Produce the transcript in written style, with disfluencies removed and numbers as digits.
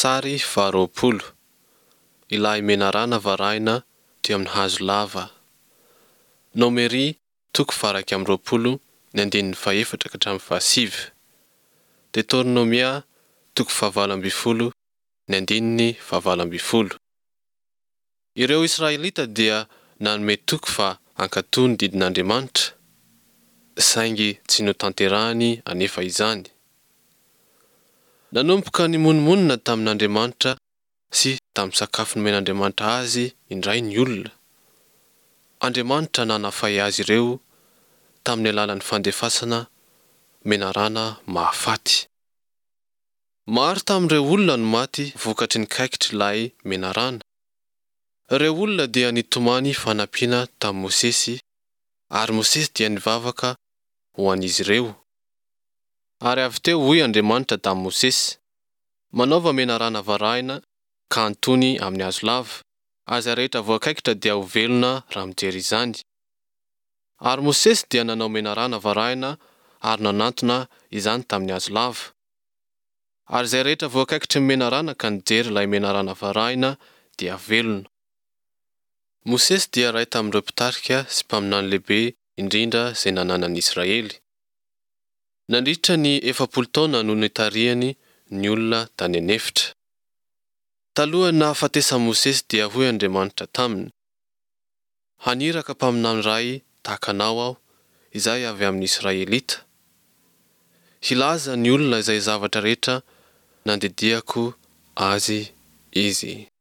Sary faharoapolo, Ilay menarana varahina teo amin'ny hazo lava. Nomery toko faha-21 ny andininy fahefatra ka hatramin'ny fahasivy. Deteronomia toko faha-18 ny andininy faha-18. Ireo Israelita dia nanome toky fa hankatò ny didin'Andriamanitra, saingy tsy notanterahiny anefa izany. Nanomboka nimonomonona tamin'Andriamanitra sy tamin'ny sakafo nomen'Andriamanitra azy indray ny olona. Andriamanitra nanafay azy ireo tamin'ny alalan'ny fandefasana menarana mahafaty. Maro tamin'ireo olona no maty vokatry ny kaikitr'ilay menarana. Ireo olona dia nitomany fanampiana tamin'i Mosesy ary Mosesy dia nivavaka ho an'izy ireo. Ary avy teo hoy Andriamanitra tamin'i Mosesy, Manaova menarana varahina ka antony amin'ny hazo lava, ary izay rehetra voakaikitra dia ho velona raha mijery izany. Ary Mosesy dia nanao menarana varahina ary nanantona izany tamin'ny hazo lava. Ary izay rehetra voakaikitry ny menarana ka nijery ilay menarana varahina dia velona. Mosesy dia iray tamin'ireo mpitarika sy mpaminany lehibe indrindra izay nananan'i Israely. Nandritra ny 40 taona no nitarihany ny olona tany an'efitra. Talohan'ny nahafatesan'i Mosesy dia hoy Andriamanitra taminy, Haniraka mpaminany iray tahaka anao Aho, izay avy amin'ny Israelita. Hilaza ny olona izay zavatra rehetra nandidiako azy izy.